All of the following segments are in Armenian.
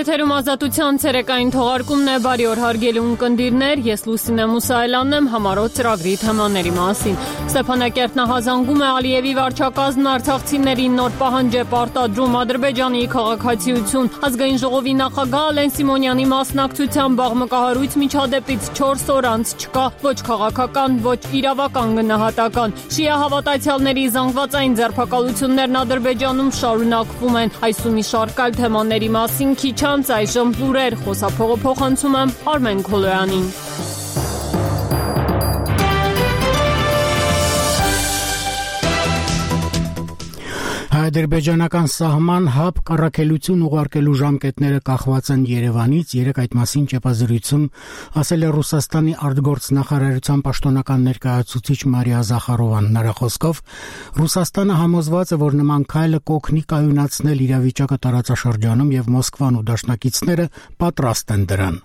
Եթերում ազատության ցերեկային թողարկումն է, բարի օր հարգելի ունկնդիրներ, ես Լուսինե Մուսայելյանն եմ, համառոտ ծրագրի թեմաների մասին։ Ստեփանակերտ նախազանգում է Ալիևի վարչակազմն արցախցիներին նոր պահանջ է պարտադրում Ադրբեջանի քաղաքացիություն։ Ազգային ժողովի նախագահ Ալեն Սիմոնյանի մասնակցությամբ աղմկահարույց միջադեպից 4 օր անց չկա ոչ քաղաքական, ոչ իրավական գնահատական։ Շիա հավատացյալների զանգվածային ձերբակալություններն Ադրբեջանում շարունակվում են։ Այս ու մի շարք այլ թեմաների մասին քիչ անց այժմ լուրեր, խոսափողը փոխանցում եմ Արմեն Քոլոյանին։ Ադրբեջանական սահման հապ կառաքելություն ուղարկելու ժամկետները կախված են Երևանից, երեկ այդ մասին ճեպազրույցում ասել է Ռուսաստանի արտգործնախարարության պաշտոնական ներկայացուցիչ Մարիա Զախարովան։ Նրա խոսքով Ռուսաստանը համոզված է, որ նման քայլը կօգնի կայունացնել իրավիճակը տարածաշրջանում եւ Մոսկվան ու դաշնակիցները պատրաստ են դրան։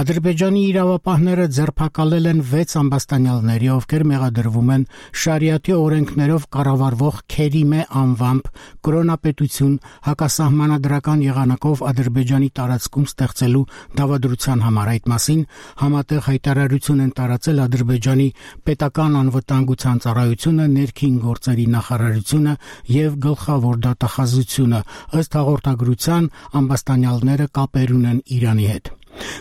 Ադրբեջանի իրավապահները ձերբակալել են 6 ամբաստանյալների, ովքեր մեղադրվում են շարիաթի օրենքներով կառավարվող Քերիմե անվամբ կրոնապետություն հակասահմանադրական եղանակով Ադրբեջանի տարածքում ստեղծելու դավադրության համար։ Այդ մասին համատեղ հայտարարություն են տարածել Ադրբեջանի պետական անվտանգության ծառայությունը, ներքին գործերի նախարարությունը եւ գլխավոր դատախազությունը։ Ըստ հաղորդագրության ամբաստանյալները կապեր ունեն Իրանի հետ։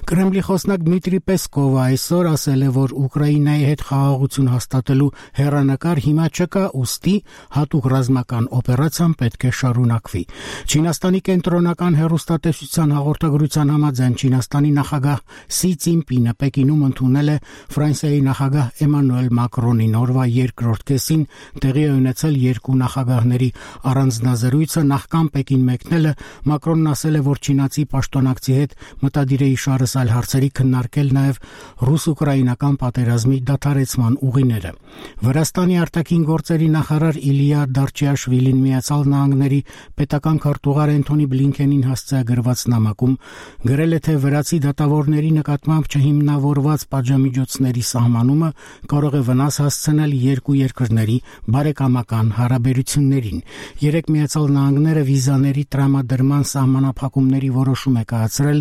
Կրեմլի խոսնակ Դմիտրի Պեսկովը այսօր ասել է, որ Ուկրաինայի հետ խաղաղություն հաստատելու հեռանկար հիմա չկա, ուստի հատուկ ռազմական օպերացիան պետք է շարունակվի։ Չինաստանի կենտրոնական հեռուստատեսության հաղորդագրության համաձայն Չինաստանի նախագահ Սի Ցինպինը Պեկինում ընդունել է Ֆրանսիայի նախագահ Էմանուել Մակրոնին։ Օրվա երկրորդ կեսին տեղի է ունեցել երկու նախագահների առանձնազրույցը։ Նախքան Պեկին մեկնելը Մակրոնն ասել է, որ չինացի պաշտոնակցի հետ մտադիր է շարս այլ հարցերի քննարկել նաև ռուս-ուկրաինական պատերազմի դադարեցման ուղիները։ Վրաստանի արտաքին գործերի նախարար Իլիա Դարչիաշվիլին Միացյալ Նահանգների պետական քարտուղար Էնթոնի Բլինքենին հասցեագրված նամակում գրել է, թե վրացի դատավորների նկատմամբ չհիմնավորված պատժամիջոցների սահմանումը կարող է վնաս հասցնել երկու երկրների բարեկամական հարաբերություններին։ Երեք Միացյալ Նահանգները վիզաների տրամադրման սահմանափակումների որոշում է կայացրել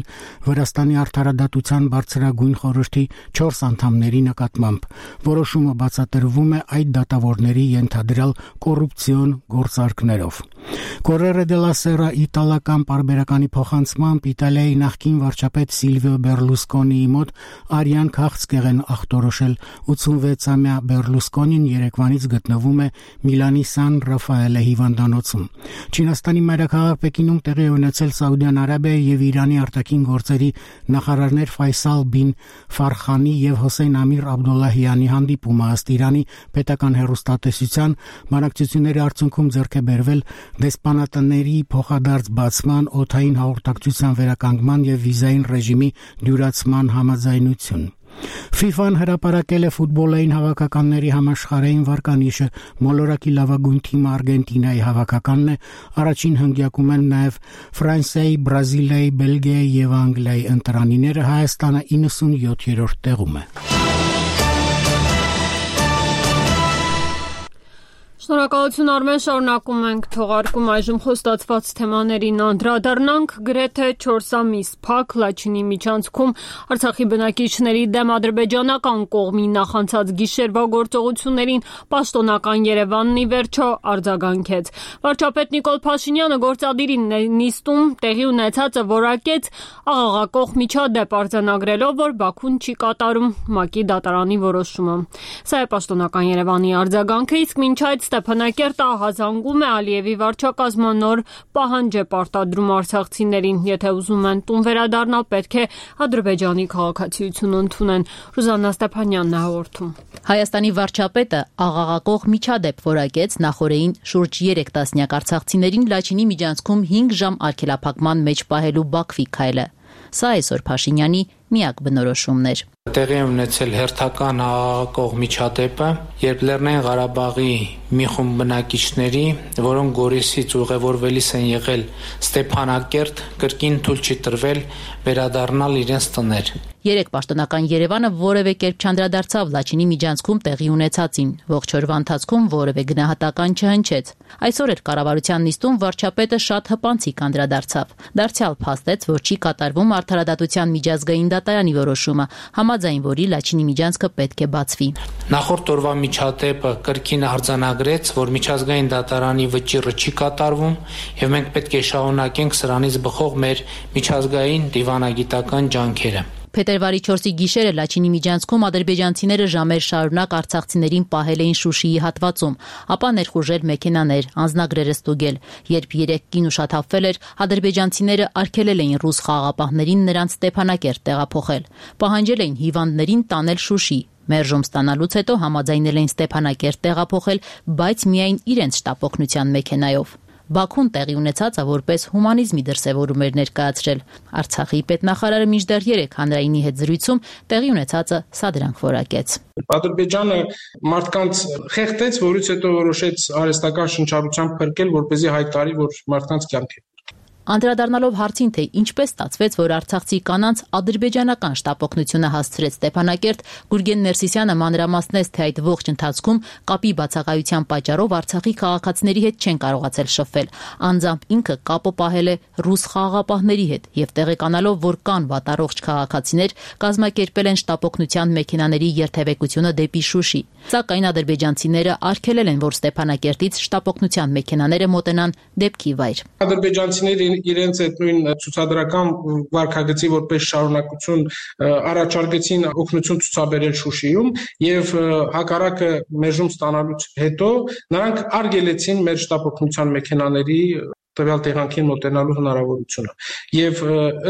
Վրաստանի արդարադատության բարձրագույն խորհրդի 4 անդամների նկատմամբ։ Որոշումը բացատրվում է այդ դատավորների ենթադրյալ կոռուպցիոն գործարքներով։ Corriere della Sera իտալական պարբերականի փոխանցմամբ Իտալիայի նախկին վարչապետ Սիլվիո Բերլուսկոնիի մոտ արյան քաղցկեղ են ախտորոշել 86-ամյա Բերլուսկոնին երեկվանից գտնվում է Միլանի Սան Ռաֆայելե հիվանդանոցում։ Չինաստանի մայրաքաղաք Պեկինում տեղի ունեցել Սաուդյան Արաբիայի եւ Իրանի արտաքին գործերի նախարարներ Ֆայսալ բին Ֆարխանի եւ Հոսեյն Ամիր Աբդոլլահյանի հանդիպումը։ Ըստ Իրանի պետական հեռուստատեսության բանակցությունների արդյունքում ձեռք է բերվել դեսպանատների փոխադարձ բացման, օդային հաղորդակցության վերականգնման եւ վիզային ռեժիմի դյուրացման համաձայնություն։ FIFA-ն հրապարակել է ֆուտբոլային հավաքականների համաշխարհային վարկանիշը։ Մոլորակի լավագույն թիմը Արգենտինայի հավաքականն է։ Առաջին հնգյակում են նաև Ֆրանսիայի, Բրազիլիայի, Բելգիայի եւ Անգլիայի ընտրանիները։ Հայաստանը 97-րդ տեղում է։ Շնորհակալություն Արմեն, շարունակում ենք թողարկում այժմ խոստացված թեմաներին անդրադառնանք։ Գրեթե 4 ամիս փակ Լաչինի միջանցքում Արցախի բնակիչների դեմ ադրբեջանական կողմի նախանցած գիշերվա գործողություններին պաշտոնական Երևանն ի վերջո արձագանքեց։ Վարչապետ Նիկոլ Փաշինյանը գործադիրի նիստում տեղի ունեցածը որակեց աղաղակող միջադեպ արձանագրելով, որ Բաքուն չի կատարում ՄԱԿ-ի դատարանի որոշումը։ Սա է պաշտոնական Երևանի արձագանքը, իսկ մինչ այդ Ստեփանակերտը ահազանգում է Ալիևի վարչակազմը նոր պահանջ է պարտադրում արցախցիներին, եթե ուզում են տուն վերադառնալ, պետք է Ադրբեջանի քաղաքացիություն ընդունեն։ Ռուզաննա Ստեփանյանն է հաղորդում։ Հայաստանի վարչապետը աղաղակող միջադեպ որակեց նախորդին շուրջ 3 տասնյակ արցախցիներին Լաչինի միջանցքում 5 ժամ արգելափակման մեջ պահելու Բաքվի քայլը։ Սա այսօր Փաշինյանի միակ բնորոշումն էր։ Տեղի ունեցել հերթական աղաղակող միջադեպը, երբ Լեռնային Ղարաբաղի մի խումբ բնակիչների, որոնք Գորիսից ուղևորվելիս են եղել Ստեփանակերտ, կրկին թույլ չի տրվել վերադառնալ իրենց տներ։ Երեք պաշտոնական Երևանը որևէ կերպ չանդրադարձավ Լաչինի միջանցքում տեղի ունեցածին, ողջ օրվա ընթացքում որևէ գնահատական չհնչեց։ Այսօր էր կառավարության նիստում վարչապետը շատ հպանցիկ անդրադարձավ։ Դարձյալ փաստեց, որ չի կատարվում Արդարադատության միջազգային դատարանի որոշումը, համաձայն որի Լաչինի միջանցքը պետք է բացվի։ Նախորդ օրվա միջադեպը կրկին արձանագրեց, որ միջազգային դատարանի վճիռը չի կատարվում, եւ մենք պետք է շարունակենք սրանից բխող մեր միջազգային դիվանագիտական ջանքերը։ Փետրվարի 4-ի գիշերը Լաչինի միջանցքում ադրբեջանցիները ժամեր շարունակ արցախցիներին պահել էին Շուշիի հատվածում, ապա ներխուժել մեքենաներ, անձնագրերը ստուգել։ Երբ 3 կին ուշաթափվել էր, ադրբեջանցիները արգելել էին ռուս խաղաղապահներին նրանց Ստեփանակերտ տեղափոխել։ Պահանջել էին հիվանդներին տանել Շուշի։ Մերժում ստանալուց հետո համաձայնել էին Ստեփանակերտ տեղափոխել, բայց միայն իրենց շտապօգնության մեքենայով։ Բաքուն տեղի ունեցածը որպես հումանիզմի դրսևորում էր ներկայացրել։ Արցախի պետնախարարը մինչդեռ 3 հանրայինի հետ զրույցում տեղի ունեցածը սադրանք որակեց։ Ադրբեջանը մարդկանց խեղդեց, որից հետո որոշեց արհեստական շնչառությամբ փրկել, որպեսզի հայտարարի, որ մարդկանց կյանք է։ Անդրադառնալով հարցին, թե ինչպես ստացվեց, որ արցախցի կանանց ադրբեջանական շտապօգնությունը հասցրեց Ստեփանակերտ, Գուրգեն Ներսիսյանը մանրամասնեց, թե այդ ողջ ընթացքում կապի բացակայության պատճառով Արցախի քաղաքացիների հետ չեն կարողացել շփվել։ Անձամբ ինքը կապը պահել է ռուս խաղաղապահների հետ եւ տեղեկանալով, որ կան վատառողջ քաղաքացիներ, կազմակերպել են շտապօգնության մեքենաների երթևեկությունը դեպի Շուշի։ Սակայն ադրբեջանցիները արգելել են, որ Ստեփանակերտից շտապօգնության մեքենաները մոտենան դեպքի վայր։ Ադրբեջանցիները իրենց այդ նույն ցուցադրական վարքագծի որպես շարունակություն առաջարկեցին օգնություն ցուցաբերել Շուշիում եւ հակառակը մերժում ստանալուց հետո նրանք արգելեցին մեր շտապօգնության մեքենաների տվյալ տեղանքին մոտենալու հնարավորությունը եւ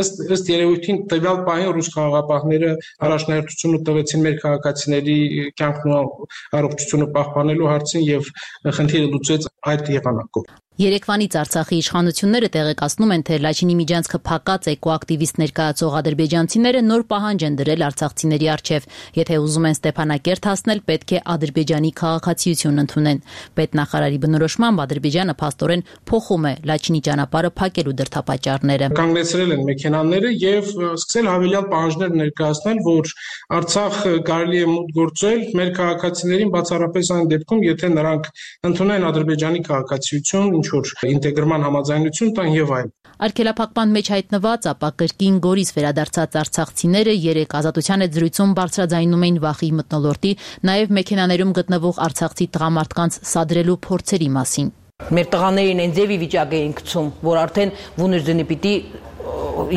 ըստ երևույթին տվյալ պահին ռուս խաղաղապահները առաջնահերթությունը տվեցին մեր քաղաքացիների կյանքն ու առողջությունը պահպանելու հարցին եւ խնդիրը լուծեց այդ եղանակով։ Երեկվանից Արցախի իշխանությունները տեղեկացնում են, թե Լաչինի միջանցքը փակած էկոակտիվիստ ներկայացող ադրբեջանցիները նոր պահանջ են դրել արցախցիների առջև։ Եթե ուզում են Ստեփանակերտ հասնել, պետք է ադրբեջանի քաղաքացիություն ընդունեն։ Պետնախարարի բնորոշմամբ Ադրբեջանը փաստորեն փոխում է Լաչինի ճանապարհը փակելու դրդապատճառները։ Կանգնեցրել են մեքենաները եւ սկսել հավելյալ պահանջներ ներկայացնել, որ Արցախ կարելի է մուտք գործել մեր քաղաքացիներին բացառապես այն դեպքում, եթե նրանք ընդունեն ադրբեջանի քաղաքացիություն, որ ինտեգրման համաձայնություն տան եւ այլն։ Արգելափակման մեջ հայտնված, ապա կրկին Գորիս վերադարձած արցախցիները 3 ազատության հետ զրույցում բարձրաձայնում էին վախի մթնոլորտի, նաեւ մեքենաներում գտնվող արցախցի տղամարդկանց սադրելու փորձերի մասին։ Մեր տղաներին այն ձևի վիճակ էին գցում, որ արդեն վուներձնի պիտի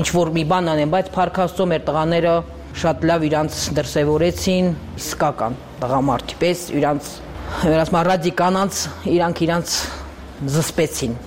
ինչ որ մի բան անեն, բայց փառքաստո մեր տղաները շատ լավ իրանց դրսևորեցին, իսկական տղամարդի պես իրանց ռադի կանանց իրանք զսպեցին։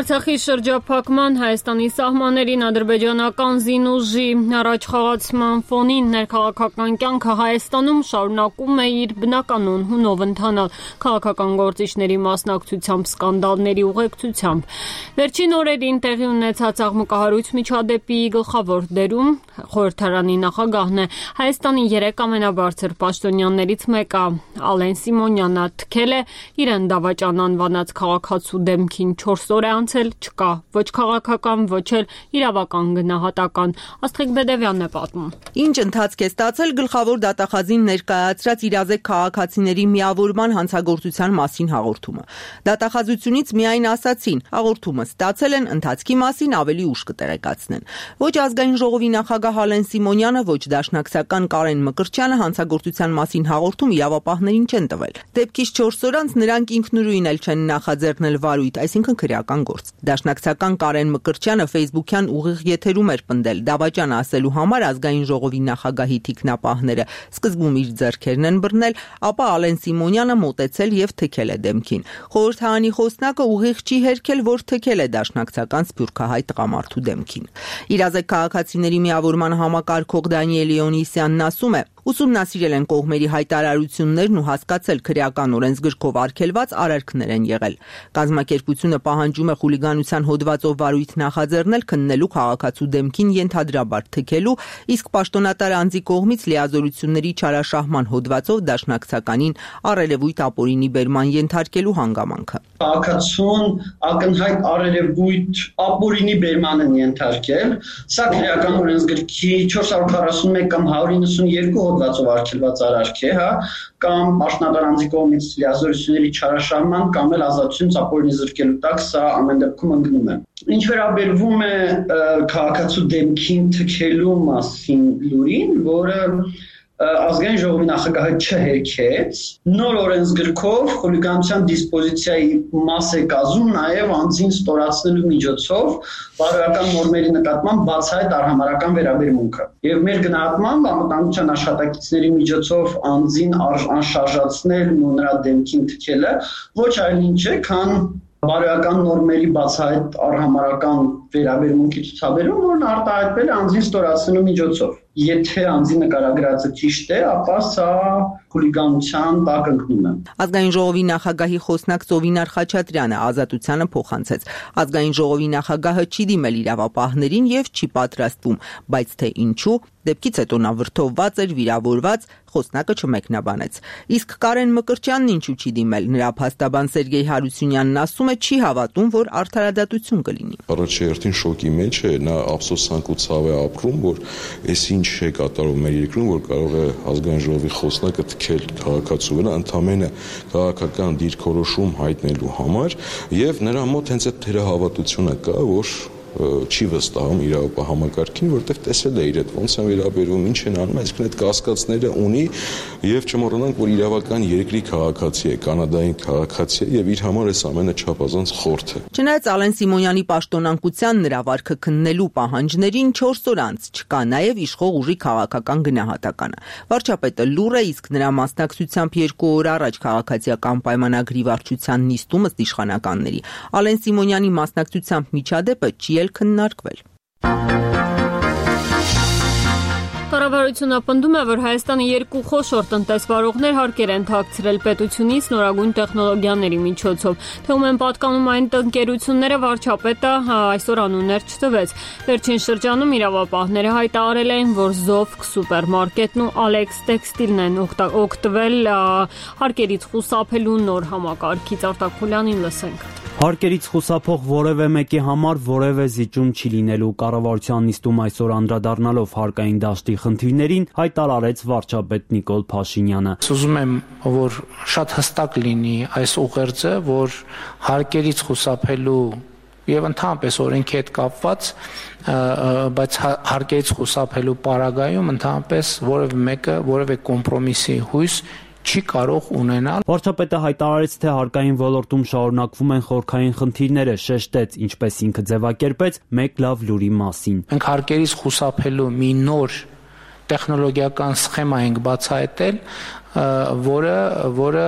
Արցախի շրջափակման Հայաստանի սահմաններին ադրբեջանական զինուժի առաջխաղացման ֆոնին ներքաղաքական կյանքը Հայաստանում շարունակում է իր բնականon հունով ընթանալ քաղաքական գործիչների մասնակցությամբ սկանդալների ուղեկցությամբ։ Վերջին օրերին տեղի ունեցած աղմկահարույց միջադեպի գլխավոր դերում խորհրդարանի նախագահն է։ Հայաստանի 3 ամենաբարձր պաշտոնյաններից մեկը Ալեն Սիմոնյանը թքել է իրեն դավաճան անվանած քաղաքացու դեմքին 4 օր չկա ոչ քաղաքական, ոչ էլ իրավական գնահատական։ Աստղիկ Բեդևյանն է պատմում։ Ինչ ընթացք է ստացել գլխավոր դատախազին ներկայացրած իրազեկ քաղաքացիների միավորման հանցագործության մասին հաղորդումը։ Դատախազությունից միայն ասացին, հաղորդումը ստացել են, ընթացքի մասին ավելի ուշ կտեղեկացնեն։ Ոչ ազգային ժողովի նախագահ Ալեն Սիմոնյանը, ոչ դաշնակցական Կարեն Մկրտչյանը հանցագործության մասին հաղորդում իրավապահներին չեն տվել։ Դեպքից 4 օր անց նրանք ինքնուրույն էլ չեն նախաձեռնել վարույթ, այսինքն քրեական գործ։ Դաշնակցական Կարեն Մկրտչյանը Facebook-յան ուղիղ եթերում էր պնդել դավաճան ասելու համար ազգային ժողովի նախագահի թիկնապահները սկզբում իր ձեռքերն են բռնել, ապա Ալեն Սիմոնյանը մոտեցել եւ թքել է դեմքին։ Խորհրդարանի խոսնակը ուղիղ չի հերքել, որ թքել է դաշնակցական սփյուռքահայ տղամարդու դեմքին։ Իրազեկ քաղաքացիների միավորման համակարգող Դանիել Լեոնիսյանն ասում է, Ուսումնասիրել են կողմերի հայտարարություններն ու հասկացել քրեական օրենսգրքով արգելված արարքներ են եղել։ Կազմակերպությունը պահանջում է խուլիգանության հոդվածով վարույթ նախաձեռնել քննելու քաղաքացու դեմքին ենթադրաբար թքելու, իսկ պաշտոնատար անձի կողմից լիազորությունների չարաշահման հոդվածով դաշնակցականին առերևույթ ապօրինի բերման ենթարկելու հանգամանքը։ Քաղաքացուն ակնհայտ առերևույթ ապօրինի բերման են ենթարկել, սա քրեական օրենսգրքի 441 կամ 192 հոդվածով արգելված արարք է, կամ պաշտոնատար անձի կողմից լիազորությունների չարաշահման կամ էլ ազատությունից ապօրինի զրկելու տակ, սա ամեն դեպքում ընկնում է։ Ինչ վերաբերվում է քաղաքացու դեմքին թքելու մասին լուրին, որը ազգային ժողովի նախագահը չհերքեց, նոր օրենսգրքով խուլիգանության դիսպոզիցիայի մաս է կազմում նաև անձին ստորացնելու միջոցով բարոյական նորմերի նկատմամբ բացահայտ արհամարհական վերաբերմունքը։ Եվ մեր գնահատմամբ անվտանգության աշխատակիցների միջոցով անձին անշարժացնելն ու նրա դեմքին թքելը ոչ այլ ինչ է, քան բարոյական նորմերի բացահայտ արհամարհական վերաբերմունքի ցուցաբերում, որն արտահայտվել է անձին ստորացնելու միջոցով։ Եթե անձի նկարագրածը ճիշտ է, ապա սա խուլիգանության տակ ընկնում է։ Ազգային ժողովի նախագահի խոսնակ Ծովինար Խաչատրյանը ազատությանը փոխանցեց։ Ազգային ժողովի նախագահը չի դիմել իրավապահներին եւ չի պատրաստվում, բայց թե ինչու, դեպքից հետո նա վրդովված էր, վիրավորված, խոսնակը չմեկնաբանեց։ Իսկ Կարեն Մկրտչյանն ինչու չի դիմել, նրա փաստաբան Սերգեյ Հարությունյանն ասում է չի հավատում, որ արդարադատություն կլինի։ Առաջերտին շոկի մեջ է, նա ափսոսանք ու ցավ է ապրում, որ այս ինչ է կատարում մեր երկրում, որ կարող է ազգային ժողովի խոսնակը թքել քաղաքացու վրա ընդամենը քաղաքական դիրքորոշում հայտնելու համար, եւ նրա մոտ հենց այդ թերահավատությունը կա, որ չի վստահում իրավապահ համակարգին, որտեղ տեսել է իր հետ ոնց են վերաբերվում, ինչ են անում, այսինքն այդ կասկածները ունի եւ չմոռանանք, որ իրավական երկրի քաղաքացի է, կանադային քաղաքացի է եւ իր համար այս ամենը չափազանց խորթ է։ Չնայած Ալեն Սիմոնյանի պաշտոնանկության նրա վարքը քննելու պահանջներին 4 օր անց չկա նաեւ իշխող ուժի քաղաքական գնահատականը։ Վարչապետը լուր է, իսկ նրա մասնակցությամբ 2 օր առաջ քաղաքացիական պայմանագրի վարչության նիստում ըստ իշխանականների Ալեն Սիմոնյանի մասնակցությամբ միջադեպը չի քննարկվել։ Կառավարությունը պնդում է, որ Հայաստանի 2 խոշոր տնտեսվարողներ հարկեր են թաքցրել պետությունից նորագույն տեխնոլոգիաների միջոցով։ Թվում են պատկանում այն ընկերությունները, վարչապետը այսօր անուններ չտվեց։ Վերջին շրջանում իրավապահները հայտարարել են, որ Զովք սուպերմարկետն ու Alex Textile-ն են օգտվել հարկերից խուսափելու նոր համակարգից։ Արտակոլյանին լսենք։ Հարկերից խուսափող որևէ մեկի համար որևէ զիջում չի լինելու, կառավարության նիստում այսօր անդրադառնալով հարկային դաշտի խնդիրներին հայտարարեց վարչապետ Նիկոլ Փաշինյանը։ Ուզում եմ, որ շատ հստակ լինի այս ուղերձը, որ հարկերից խուսափելու եւ ընդհանրապես օրենքի հետ կապված, բայց հարկերից խուսափելու պարագայում ընդհանրապես որևէ մեկը որևէ կոմպրոմիսի հույս չի կարող ունենալ։ Վարչապետը հայտարարեց, թե հարկային ոլորտում շարունակվում են խորքային խնդիրները, շեշտեց, ինչպես ինքը ձևակերպեց, մեկ լավ լուրի մասին։ Մենք հարկերից խուսափելու մի նոր տեխնոլոգիական սխեմա ենք բացահայտել, որը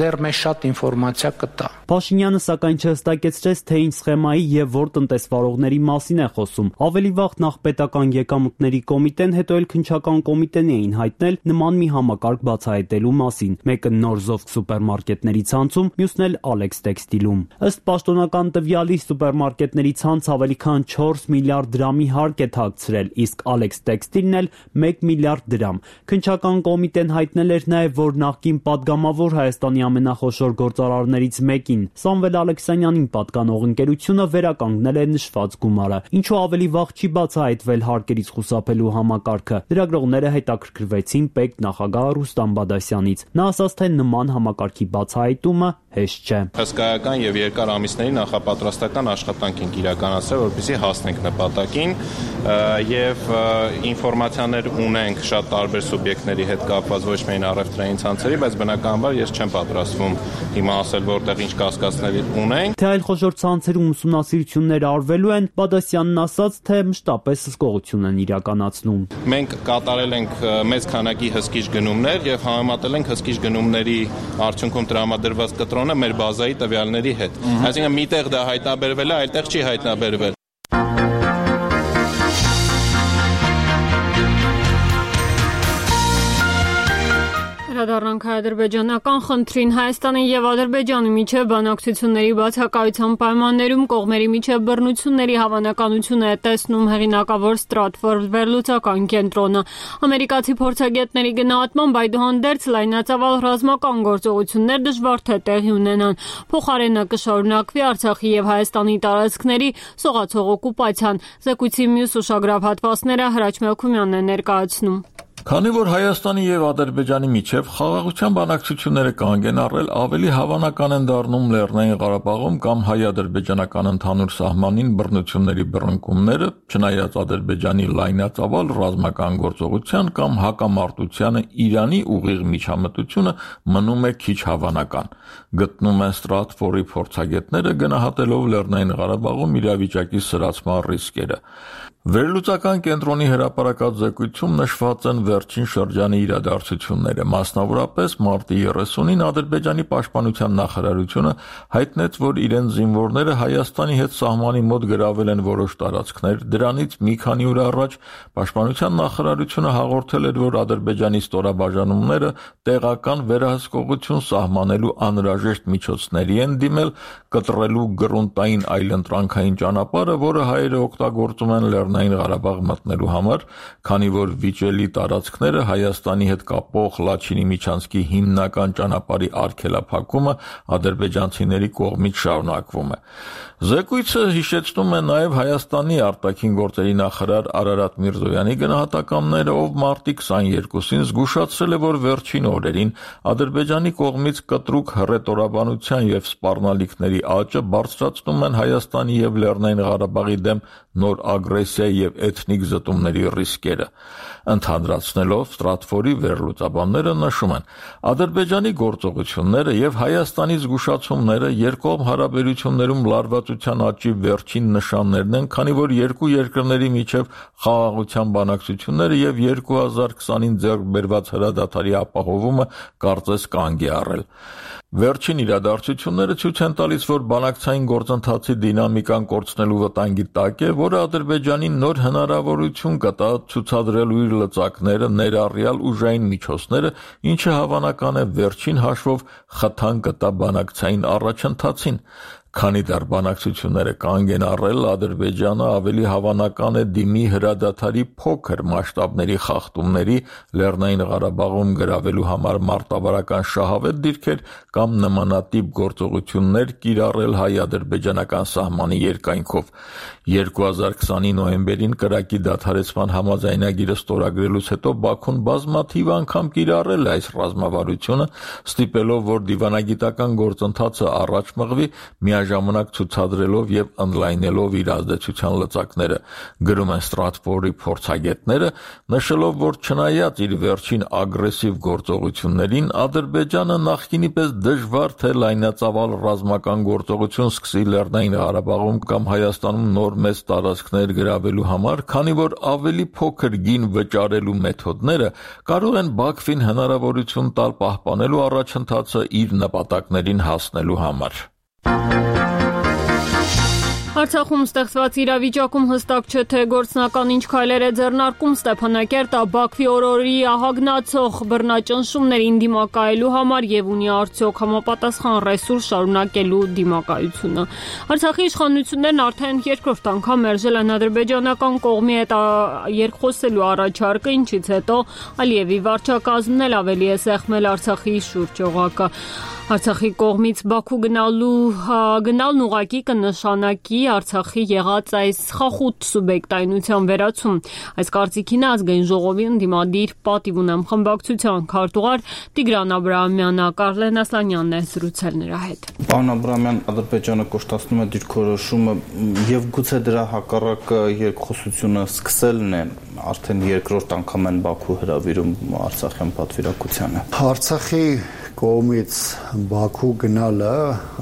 դեռ մեզ շատ ինֆորմացիա կտա։ Փաշինյանը սակայն չհստակեցրեց, թե ինչ սխեմայի եւ որ տնտեսվարողների մասին է խոսում։ Ավելի վաղ նախ պետական եկամուտների կոմիտեն, հետո էլ քննչական կոմիտեն էին հայտնել նման մի համակարգ բացահայտելու մասին։ Մեկը նոր Զովք սուպերմարկետների ցանցում, մյուսն էլ Alex Textile-ում։ Ըստ պաշտոնական տվյալի սուպերմարկետների ցանց ավելի քան 4 միլիարդ դրամի հարկ է թաքցրել, իսկ Alex Textile-ն էլ 1 միլիարդ դրամ։ Քննչական կոմիտեն հայտնել էր նաև, որ նախկին падգամավոր Հայաստանի ամենախոշոր գործարարներից մեկին Սամվել Ալեքսանյանին պատկանող ընկերությունը վերականգնել է նշված գումարը, ինչու ավելի վաղ չի բացահայտվել հարկերից խուսափելու համակարգը։ Լրագրողները հետաքրքրվեցին պետ նախագահ Ռուստամ Բադասյանից։ Նա ասաց, թե նման համակարգի բացահայտումը հեշտ չէ։ Հսկայական եւ երկար ամիսների նախապատրաստական աշխատանք ենք իրականացրել, որպեսզի հասնենք նպատակին եւ ինֆորմացիաներ ունենք շատ տարբեր սուբյեկտների հետ կապված ոչ միայն առևտրային ցանցերի, բայց բնականաբար ես չեմ պատրաստվում հիմա ասել որտեղ ինչ կասկածներ ունենք։ Թե այլ խոշոր ցանցերում ուսումնասիրություններ արվելու են, Բադասյանն ասաց, թե մշտապես հսկողություն են իրականացնում։ Մենք կատարել ենք մեծ քանակի հսկիչ գնումներ եւ համեմատել ենք հսկիչ գնումների արդյունքում տրամադրված կտրոնը մեր բազայի տվյալների հետ։ Այսինքն միտեղ դա հայտնաբերվել է, այլտեղ չի հայտնաբերվել։ անդրադառնանք հայ-ադրբեջանական խնդրին։ Հայաստանի եւ Ադրբեջանի միջև բանակցությունների բացակայության պայմաններում կողմերի միջև բռնությունների հավանականությունը է տեսնում հեղինակավոր Stratford վերլուծական կենտրոնը։ Ամերիկացի փորձագետների գնահատմամբ այդուհանդերձ լայնածավալ ռազմական գործողություններ դժվար թե տեղի ունենան։ Փոխարենը կշարունակվի Արցախի եւ Հայաստանի տարածքների սողացող օկուպացիան։ Զեկույցի մյուս ուշագրավ հատվածները Հրաչ Մելքումյանն է ներկայացնում։ Քանի որ Հայաստանի եւ Ադրբեջանի միջև խաղաղության բանակցությունները կանգ են առել, ավելի հավանական են դառնում Լեռնային Ղարաբաղում կամ հայ-ադրբեջանական ընդհանուր սահմանին բռնությունների բռնկումները, չնայած Ադրբեջանի լայնածավալ ռազմական գործողության կամ հակամարտությանը Իրանի ուղիղ միջամտությունը մնում է քիչ հավանական, գտնում են Stratford-ի փորձագետները գնահատելով Լեռնային Ղարաբաղում իրավիճակի սրացման ռիսկերը։ Վերլուծական կենտրոնի հրապարակած զեկույցում նշված են վերջին շրջանի իրադարձությունները, մասնավորապես մարտի 30-ին Ադրբեջանի պաշտպանության նախարարությունը հայտնեց, որ իրեն զինվորները Հայաստանի հետ սահմանի մոտ գրավել են որոշ տարածքներ, դրանից մի քանի օր առաջ պաշտպանության նախարարությունը հաղորդել էր, որ Ադրբեջանի ստորաբաժանումները տեղական վերահսկողություն սահմանելու անհրաժեշտ միջոցների են դիմել, կտրելու գրունտային այլընտրանքային ճանապարհը, որը հայերը օգտագործում են Լեռնային Ղարաբաղ մտնելու համար, քանի որ վիճելի տարածքները Հայաստանի հետ կապող Լաչինի միջանցքի հիմնական ճանապարհի արգելափակումը ադրբեջանցիների կողմից շարունակվում է։ Զեկույցը հիշեցնում է նաև Հայաստանի արտաքին գործերի նախարար Արարատ Միրզոյանի գնահատականները, ով մարտի 22-ին զգուշացրել է, որ վերջին օրերին Ադրբեջանի կողմից կտրուկ հռետորաբանության եւ սպառնալիքների աճը բարձրացնում են Հայաստանի եւ Լեռնային Ղարաբաղի դեմ նոր ագրեսիա եւ էթնիկ զտումների ռիսկերը։ Ընդհանրացնելով Stratford-ի վերլուծաբանները նշում են. Ադրբեջանի գործողությունները եւ Հայաստանի զգուշացումները երկկողմ հարաբերություններում լարվածության աճի վերջին նշաններն են, քանի որ երկու երկրների միջև խաղաղության բանակցությունները եւ 2020-ին ձեռք բերված հրադադարի ապահովումը կարծես կանգ է առել։ Վերջին իրադարձությունները ցույց են տալիս, որ բանակցային գործընթացի դինամիկան կորցնելու վտանգի տակ է, որը Ադրբեջանին նոր հնարավորություն կտա ցուցադրելու իր լծակները, ներառյալ ուժային միջոցները, ինչը հավանական է վերջին հաշվով խթան կտա բանակցային առաջընթացին։ Քանի դեռ բանակցությունները կանգ են առել, Ադրբեջանը ավելի հավանական է դիմի հրադադարի փոքր մասշտաբների խախտումների, Լեռնային Ղարաբաղում գրավելու համար մարտավարական շահավետ դիրքեր կամ նմանատիպ գործողություններ կիրառել հայ-ադրբեջանական սահմանի երկայնքով։ 2020-ի նոյեմբերին կրակի դադարեցման համաձայնագիրը ստորագրելուց հետո Բաքուն բազմաթիվ անգամ կիրառել է այս ռազմավարությունը, ստիպելով, որ դիվանագիտական գործընթացը առաջ մղվի, միաժամանակ ցուցադրելով եւ ընդլայնելով իր ազդեցության լծակները, գրում են Stratford-ի փորձագետները, նշելով, որ չնայած իր վերջին ագրեսիվ գործողություններին, Ադրբեջանը նախկինի պես դժվար թե լայնածավալ ռազմական գործողություն սկսի Լեռնային Ղարաբաղում կամ Հայաստանում նոր մեծ տարածքներ գրավելու համար, քանի որ ավելի փոքր գին վճարելու մեթոդները կարող են Բաքվին հնարավորություն տալ պահպանելու առաջընթացը իր նպատակներին հասնելու համար։ Արցախում ստեղծված իրավիճակում հստակ չէ, թե գործնական ինչ քայլեր է ձեռնարկում Ստեփանակերտը Բաքվի օրորի ահագնացող բռնաճնշումներին դիմակայելու համար եւ ունի արդյոք համապատասխան ռեսուրս շարունակելու դիմակայությունը։ Արցախի իշխանություններն արդեն երկրորդ անգամ մերժել են ադրբեջանական կողմի հետ երկխոսելու առաջարկը, ինչից հետո Ալիևի վարչակազմն էլ ավելի է սեղմել Արցախի շուրջ օղակը։ Արցախի կողմից Բաքու գնալն ուղղակի կնշանակի Արցախի եղած այս խախուտ սուբյեկտայնության վերացում։ Այս կարծիքին ազգային ժողովի ընդդիմադիր պատիվ ունեմ խմբակցության քարտուղար Տիգրան Աբրահամյանը Կարլեն Ասլանյանն է զրուցել նրա հետ։ Պարոն Աբրահամյան, Ադրբեջանը կոշտացնում է դիրքորոշումը եւ գուցե դրա հակառակը երկխոսությունը սկսելն է, արդեն երկրորդ անգամ են Բաքու հրավիրում Արցախյան պատվիրակությանը։ Արցախի կողմից Բաքու գնալը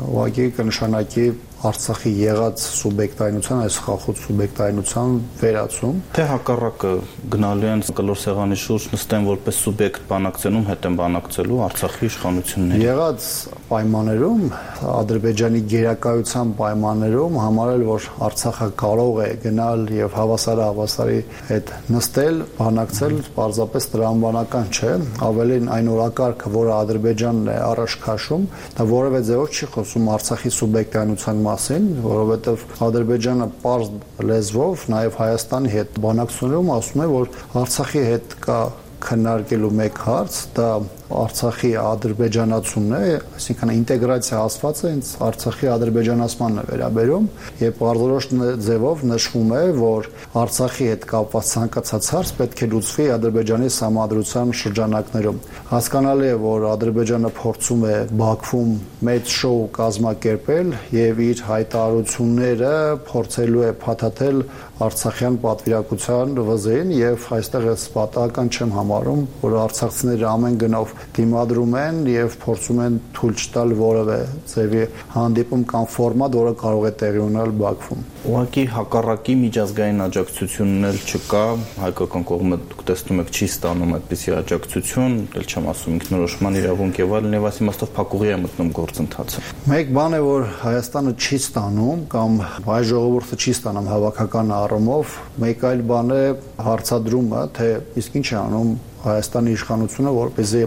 ուղղակի կնշանակի Արցախի եղած սուբյեկտայնության, այս խախոտ սուբյեկտայնության վերացում, թե հակառակը գնալու են կլոր սեղանի շուրջ նստեն որպես սուբյեկտ բանակցելուն, հետ են բանակցելու Արցախի իշխանությունների։ Եղած պայմաններում, Ադրբեջանի գերակայության պայմաններում համարել, որ Արցախը կարող է գնալ եւ հավասարի հետ նստել, բանակցել, պարզապես տրամաբանական չէ, ավելին այն օրակարգը, որը Ադրբեջանն է առաջ քաշում, դա որևէ ձևով չի խոսում Արցախի սուբյեկտայնության մասին, որովհետև Ադրբեջանը պարզ լեզվով նաև Հայաստանի հետ բանակցությունում ասում է, որ Արցախի հետ կա քննարկելու մեկ հարց, դա Արցախի ադրբեջանացումն է, այսինքն ինտեգրացիա ասված է, ինձ Արցախի ադրբեջանացմանն է վերաբերում, եւ բարձրորոշ ձևով նշվում է, որ Արցախի հետ կապված ցանկացած հարց պետք է լուծվի Ադրբեջանի սահմանադրության շրջանակներում։ Հասկանալի է, որ Ադրբեջանը փորձում է Բաքվում մեծ շոու կազմակերպել եւ իր հայտարարությունները փորձելու է փաթաթել արցախյան պատվիրակության վզին եւ այստեղ ես պատահական չեմ համարում, որ արցախցիները ամեն գնով դիմադրում են եւ փորձում են թույլ չտալ որևէ ձևի հանդիպում կամ ֆորմատ, որը կարող է տեղի ունենալ Բաքվում։ Ուղղակի հակառակի միջազգային աջակցությունն էլ չկա, հայկական կողմը դուք տեսնում եք չի ստանում այդպիսի աջակցություն, դեռ չեմ ասում ինքնորոշման իրավունք եւ այլն, եւ այս իմաստով փակուղի է մտնում գործընթացը։ Մեկ բան է, որ Հայաստանը չի ստանում կամ հայ ժողովուրդը չի ստանում հավաքական առումով, մեկ այլ բան է հարցադրումը, թե իսկ ինչ է անում Հայաստանի իշխանությունը, որպեսզի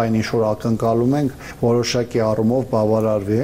այն ինչ որ ակնկալում ենք, որոշակի առումով բավարարվի։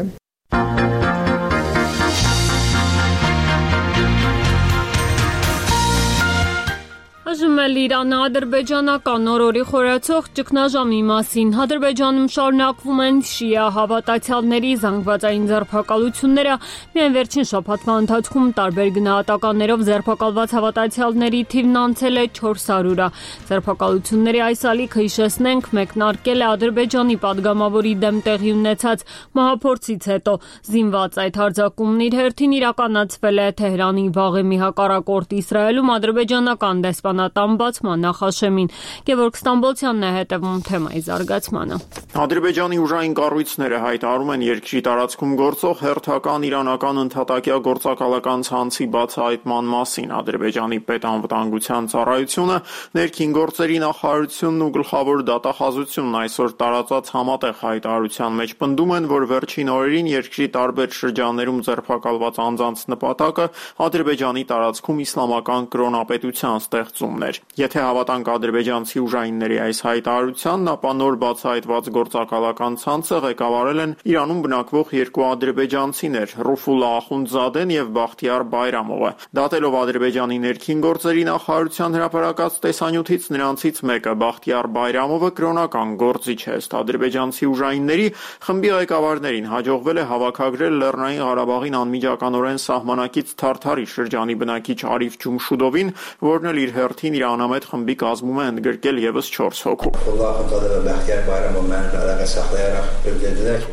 Այժմ Իրանը ադրբեջանական օրորի խորացող ճգնաժամի մասին։ Ադրբեջանում շարունակվում են շիա հավատացյալների զանգվածային ձերբակալությունները։ Միայն վերջին շաբաթվա ընթացքում տարբեր գնահատականներով ձերբակալված հավատացյալների թիվն անցել է 400-ը։ Ձերբակալությունների այս ալիքը, հիշեցնենք, մեկնարկել է Ադրբեջանի падգամավորի դեմ տեղի ունեցած մահափորձից հետո։ Զինված այդ հարձակումն իր հերթին իրականացվել է Թեհրանի Վաղեմի հակառակորդ Իսրայելում ադրբեջանական դեսպանատան բացման նախաշեմին։ Գևորգ Ստամբոլցյանն է հետևում թեմայի զարգացմանը։ Ադրբեջանի ուժային կառույցները հայտարարում են երկրի տարածքում գործող հերթական իրանական ընդհատակյա գործակալական ցանցի բացահայտման մասին։ Ադրբեջանի պետանվտանգության ծառայությունը, ներքին գործերի նախարարությունն ու գլխավոր դատախազությունն այսօր տարածած համատեղ հայտարարության մեջ պնդում են, որ վերջին օրերին երկրի տարբեր շրջաններում ձերբակալված անձանց նպատակը Ադրբեջանի տարածքում իսլամական կրոնապետության ստեղծումն էր։ Եթե հավատանք ադրբեջանցի ուժայինների այս հայտարարությանն, ապա նոր բացահայտված գործակալական ցանցը ղեկավարել են Իրանում բնակվող երկու ադրբեջանցիներ՝ Ռուֆուլա Ախունդզադեն եւ Բախտիար Բայրամովը։ Դատելով Ադրբեջանի ներքին գործերի նախարարության հրապարակած տեսանյութից, նրանցից մեկը Բախտիար Բայրամովը կրոնական գործիչ է։ Ըստ ադրբեջանցի ուժայինների խմբի ղեկավարներին հաջողվել է հավաքագրել Լեռնային Ղարաբաղին անմիջականորեն սահմանակից Թարթարի շրջանի բնակիչ Արիֆ Ջումշուդովին, որն էլ իր հերթին իր անամետ խմբի կազմում է ընդգրկել եւս 4 հոգու։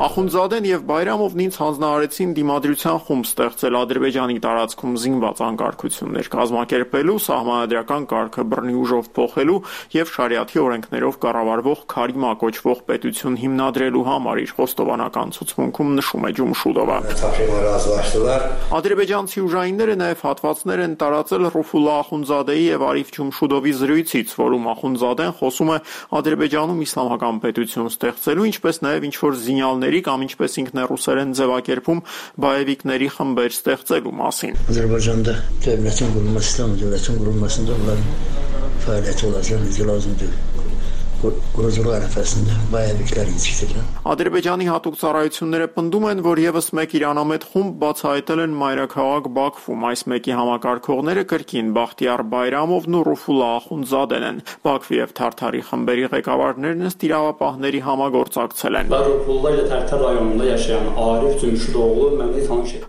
Ախունդզադեն եւ Բայրամովն ինձ հանձնարարեցին դիմադրության խումբ ստեղծել Ադրբեջանի տարածքում զինված անկարգություններ կազմակերպելու, սահմանադրական կարգը բռնի ուժով փոխելու եւ շարիաթի օրենքներով կառավարվող Քարիմա կոչվող պետություն հիմնադրելու համար իր խոստովանական ցուցմունքում նշում է Ջումշուդովը։ Ադրբեջանցի ուժայինները նաեւ հատվածներ են տարածել Ռուֆուլա Ախունդզադեի եւ Արիֆ Ջումշուդովի զրույցից, որում Ախունդզադեն խոսում է Ադրբեջանում իսլամական պետություն ստեղծելու, ինչպես նաեւ ինչ-որ զինյալների կամ ինչպես ինքն է ռուսերեն ձևակերպում բայևիկների խմբեր ստեղծելու մասին։ Ադրբեջանը դեպի գումարստան դեպի գումարստան ֆայլետ olacağını lazımdır. Ադրբեջանի հատուկ ծառայությունները պնդում են, որ եւս մեկ իրանամետ խումբ բացահայտել են մայրաքաղաք Բաքվում։ Այս մեկի համակարգողները կրկին Բախտիար Բայրամովն ու Ռուֆուլա Ախունդզադեն են։ Բաքվի եւ Թարթարի խմբերի ղեկավարներն ըստ իրավապահների համագործակցել են։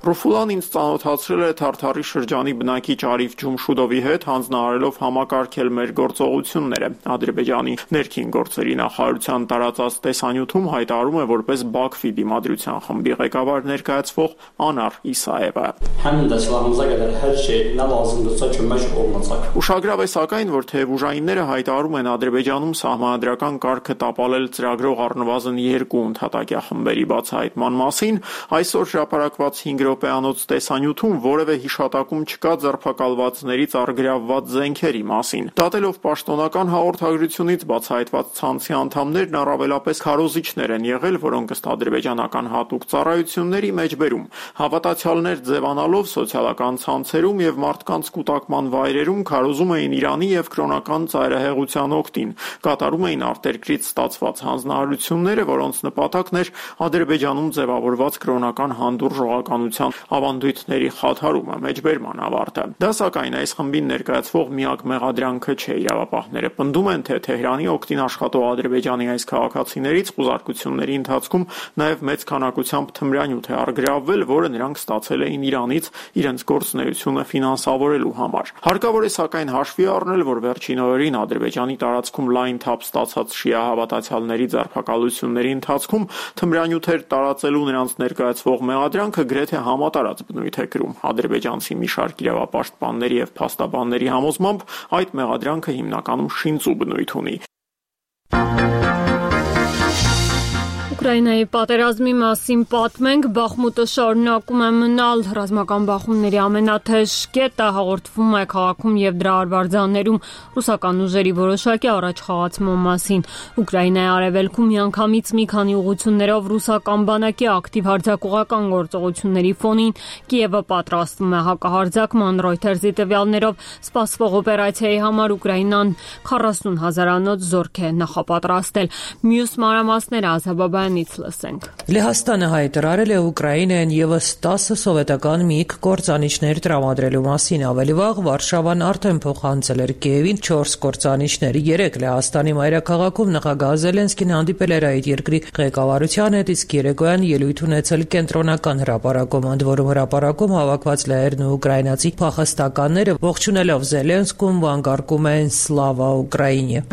Ռուֆուլան ինձ ծանոթացրել է Թարթարի շրջանի բնակիչ Արիֆ Ջումշուդովի հետ, հանձնարարելով համակարգել մեր գործողությունները։ Ադրբեջանի ներքին ներքին գործերի նախարարության տարածած տեսանյութում հայտարարում է որպես Բաքվի դիմադրության խմբի ղեկավար ներկայացվող Անար Իսաևը։ Ուշագրավ է սակայն, որ թեև ուժայինները հայտարարում են Ադրբեջանում սահմանադրական կարգը տապալել ծրագրող առնվազն 2 ընդհատակյա խմբերի բացահայտման մասին, այսօր հրապարակված 5 րոպեանոց տեսանյութում որևէ հիշատակում չկա ձերբակալվածներից առգրավված զենքերի մասին։ Դատելով պաշտոնական հաղորդագրությունից բացահայտված ցանցի անդամներն առավելապես քարոզիչներ են եղել, որոնք ըստ ադրբեջանական հատուկ ծառայությունների մեջբերում հավատացյալներ ձևանալով սոցիալական ցանցերում եւ մարդկանց կուտակման վայրերում քարոզում էին Իրանի եւ կրոնական ծայրահեղության օգտին, կատարում էին արտերկրից ստացված հանձնարարությունները, որոնց նպատակն էր Ադրբեջանում ձևավորված կրոնական հանդուրժողականության ավանդույթների խաթարումը, մեջբերման ավարտը։ Դա սակայն այս խմբին ներկայացվող միակ մեղադրանքը չէ։ Իրավապահները պնդում են, թե Թեհրանի օգտին աշխատող Ադրբեջանի այս քաղաքացիներից խուզարկությունների ընթացքում նաև մեծ քանակությամբ թմրանյութ է առգրավվել, որը նրանք ստացել էին Իրանից իրենց գործունեությունը ֆինանսավորելու համար։ Հարկավոր է սակայն հաշվի առնել, որ վերջին օրերին Ադրբեջանի տարածքում լայն թափ ստացած շիա հավատացյալների ձերբակալությունների ընթացքում թմրանյութեր տարածելու նրանց ներկայացվող մեղադրանքը գրեթե համատարած բնույթ է կրում։ Ադրբեջանցի մի շարք իրավապաշտպանների եւ փաստաբանների համոզմամբ այդ մեղադրանքը հիմնականում շինծու բնույթ ունի։ Ուկրաինայի պատերազմի մասին պատմենք, Բախմուտը շարունակում է մնալ ռազմական բախումների ամենաթեժ կետը, հաղորդվում է քաղաքում եւ դրա արվարձաններում ռուսական ուժերի որոշակի առաջխաղացման մասին։ Ուկրաինայի արևելքում միանգամից մի քանի ուղղություններով ռուսական բանակի ակտիվ հարձակողական գործողությունների ֆոնին Կիևը պատրաստվում է հակահարձակման։ Reuters-ի տվյալներով սպասվող օպերացիայի համար Ուկրաինան 40,000-անոց զորք է նախապատրաստել։ Մյուս մանրամասները Ազաբաբան Լեհաստանը հայտարարել է Ուկրաինային եւս 10 սովետական միգ կործանիչներ տրամադրելու մասին։ Ավելի վաղ Վարշավան արդեն փոխանցել էր Կիևին 4 կործանիչներ։ 3 Լեհաստանի մայրաքաղաքում նախագահ Զելենսկին հանդիպել էր այդ երկրի ղեկավարության հետ, իսկ երեկոյան ելույթ ունեցել կենտրոնական հրապարակում, ընդ որում հրապարակում հավաքված լեհերն ու ուկրաինացի փախստականները ողջունելով Զելենսկուն վանկարկում են «Սլավա Ուկրաինե»։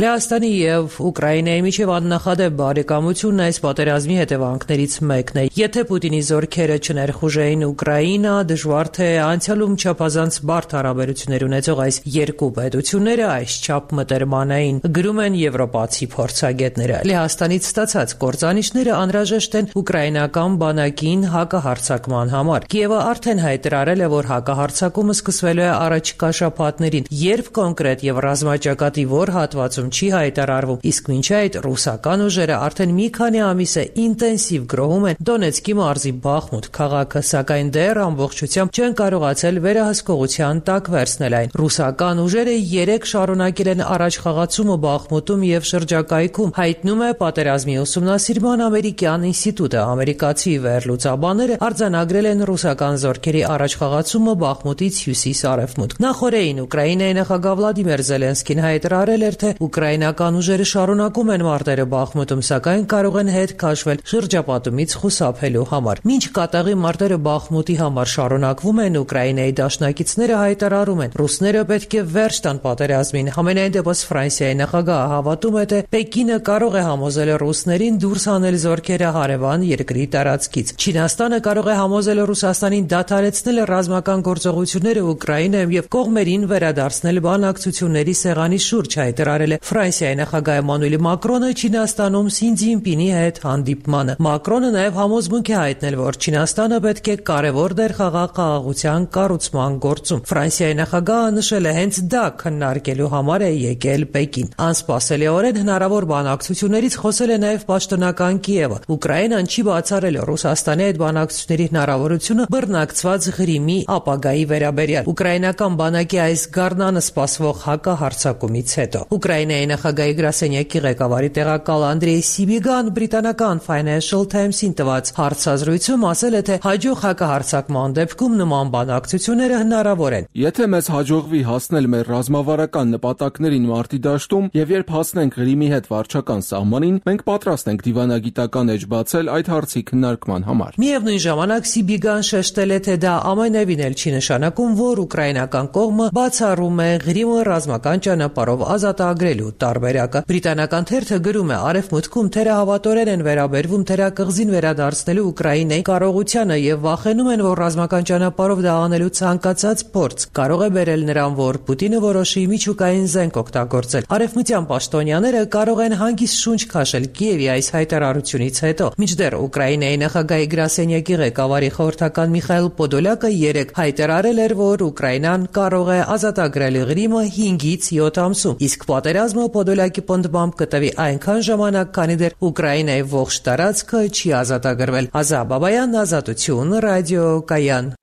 Լեհաստանի եւ Ուկրաինայի միջև աննախադեպ բարեկամությունն այս պատերազմի հետևանքներից մեկն է։ Եթե Պուտինի զորքերը չներխուժեին Ուկրաինա, դժվար թե անցյալում չափազանց բարդ հարաբերություններ ունեցող այս երկու պետությունները այսչափ մտերմանային, գրում են եվրոպացի փորձագետները։ Լեհաստանից ստացած կործանիչները անհրաժեշտ են ուկրաինական բանակին հակահարձակման համար։ Կիևը արդեն հայտարարել է, որ հակահարձակումը սկսվելու է առաջիկա շաբաթներին, երբ կոնկրետ եւ ռազմաճակատի որ հատվածում չի հայտարարվում, իսկ մինչ այդ ռուսական ուժերը արդեն մի քանի ամիս է ինտենսիվ գրոհում են Դոնեցկի մարզի Բախմուտ քաղաքը, սակայն դեռ ամբողջությամբ չեն կարողացել վերահսկողության տակ վերցնել այն։ Ռուսական ուժերը 3 շարունակել են առաջխաղացումը Բախմուտում եւ շրջակայքում, հայտնում է Պատերազմի ուսումնասիրման ամերիկյան ինստիտուտը։ Ամերիկացի վերլուծաբանները արձանագրել են ռուսական զորքերի առաջխաղացումը Բախմուտից հյուսիս-արևմուտք։ Նախորդին Ուկրաինայի նախագահ Վլադիմիր Զելենսկին հայտարարել էր, թե ուկրաինական ուժերը շարունակում են մարտերը Բախմուտում, սակայն կարող են հետ քաշվել շրջապատումից խուսափելու համար։ Մինչ կատաղի մարտերը Բախմուտի համար շարունակվում են, Ուկրաինայի դաշնակիցները հայտարարում են, ռուսները պետք է վերջ տան պատերազմին։ Համենայն դեպս Ֆրանսիայի նախագահը հավատում է, թե Պեկինը կարող է համոզել ռուսներին դուրս հանել զորքերը հարևան երկրի տարածքից։ Չինաստանը կարող է համոզել Ռուսաստանին դադարեցնել ռազմական գործողությունները Ուկրաինայում եւ կողմերին վերադարձնել բանակցությունների սեղանի շուրջ, հայտարարել է Ֆրանսիայի նախագահ Էմանուել Մակրոնը Չինաստանում Սի Ցզինպինի հետ հանդիպմանը։ Մակրոնը նաև համոզմունք է հայտնել, որ Չինաստանը պետք է կարևոր դեր խաղա խաղաղության կառուցման գործում։ Ֆրանսիայի նախագահը նշել է, հենց դա քննարկելու համար է եկել Պեկին։ Անսպասելիորեն հնարավոր բանակցություններից խոսել է նաև պաշտոնական Կիևը։ Ուկրաինան չի բացառել Ռուսաստանի հետ բանակցությունների հնարավորությունը բռնակցված Ղրիմի ապագայի վերաբերյալ։ Ուկրաինական բանակի այս գարնանը սպասվող հակահարձակումից հետո։ Ուկրաինայի Ուկրաինայի նախագահի գրասենյակի ղեկավարի տեղակալ Անդրեյ Սիբիգան բրիտանական Financial Times-ին տված հարցազրույցում ասել է, թե հաջող հակահարձակման դեպքում նման բանակցությունները հնարավոր են։ Եթե մեզ հաջողվի հասնել մեր ռազմավարական նպատակներին մարտի դաշտում եւ երբ հասնենք Ղրիմի հետ վարչական սահմանին, մենք պատրաստ ենք դիվանագիտական էջ բացել այդ հարցի քննարկման համար։ Միևնույն ժամանակ Սիբիգան շեշտել է, թե դա ամենևին էլ չի նշանակում, որ ուկրաինական կողմը բացառում է Ղրիմը ռազմական ճանապարհով ազատագրելու տարբերակը։ Բրիտանական թերթը գրում է. Արևմուտքում թերահավատորեն են վերաբերվում թերակղզին վերադարձնելու Ուկրաինայի կարողությանը եւ վախենում են, որ ռազմական ճանապարհով դա անելու ցանկացած փորձ կարող է բերել նրան, որ Պուտինը որոշի միջուկային զենք օգտագործել։ Արևմտյան պաշտոնյաները կարող են հանգիստ շունչ քաշել Կիևի այս հայտարարությունից հետո։ Մինչդեռ Ուկրաինայի նախագահի գրասենյակի ղեկավարի խորհրդական Միխայիլ Պոդոլյակը երեկ հայտարարել էր, որ Ուկրաինան կարող է ազատագրել Ղրիմը 5-ից 7 ամսում, իսկ պատերազմը Պոդոլյակի պնդմամբ կտևի այնքան ժամանակ, քանի դեռ Ուկրաինայի ողջ տարածքը չի ազատագրվել։ Ազա Բաբայան, Ազատություն, Ռադիո Կայան։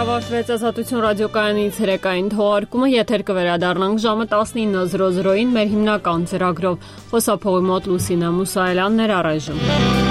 Ավարտվեց Ազատություն ռադիոկայանից հերեկային թողարկումը, եթեր կվերադառնանք ժամը 19:00-ին մեր հիմնական ծրագրով։ Խոսափողի մոտ Լուսինե Մուսայելյանն էր առայժմ։